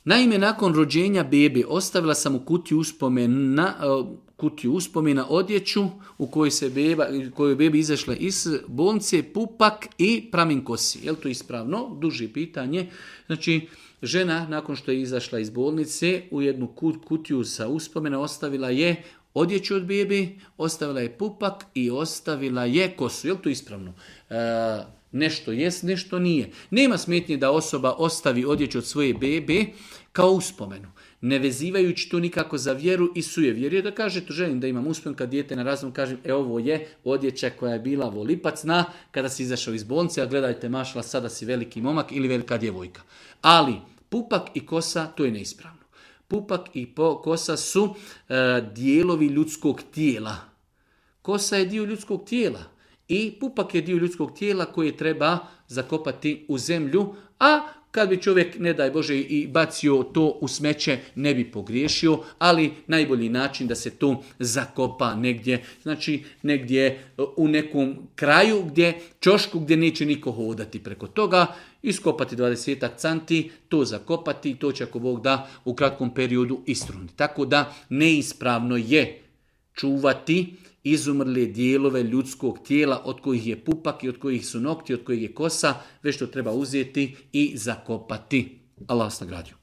Naime, nakon rođenja bebe ostavila sam u kutiju uspomena odjeću u kojoj bebi izašla iz bolnice, pupak i pramen kosi. Je li to ispravno? Duže pitanje. Znači, žena nakon što je izašla iz bolnice u jednu kutiju sa uspomena ostavila je odjeću od bebe, ostavila je pupak i ostavila je kosu. Je li to ispravno? Nešto jest, nešto nije. Nema smetnje da osoba ostavi odjeću od svoje bebe kao uspomenu, ne vezivajući to nikako za vjeru i sujevjerje, da kaže to želim da imam uspomenu kad dijete na razum kažem ovo je odjeća koja je bila volipacna kada si izašao iz bolnice, a gledajte mašla sada si veliki momak ili velika djevojka. Ali pupak i kosa to je neispravno. Pupak i kosa su dijelovi ljudskog tijela. Kosa je dio ljudskog tijela i pupak je dio ljudskog tijela koje treba zakopati u zemlju, a kad bi čovjek, ne daj Bože, i bacio to u smeće, ne bi pogriješio, ali najbolji način da se to zakopa negdje, znači negdje u nekom kraju, ćošku gdje neće niko hodati preko toga, iskopati 20 canti, to zakopati, to će ako Bog da u kratkom periodu istruniti. Tako da neispravno je čuvati izumrle dijelove ljudskog tijela od kojih je pupak i od kojih su nokti, od kojih je kosa, već to treba uzeti i zakopati. Allah vas nagradio.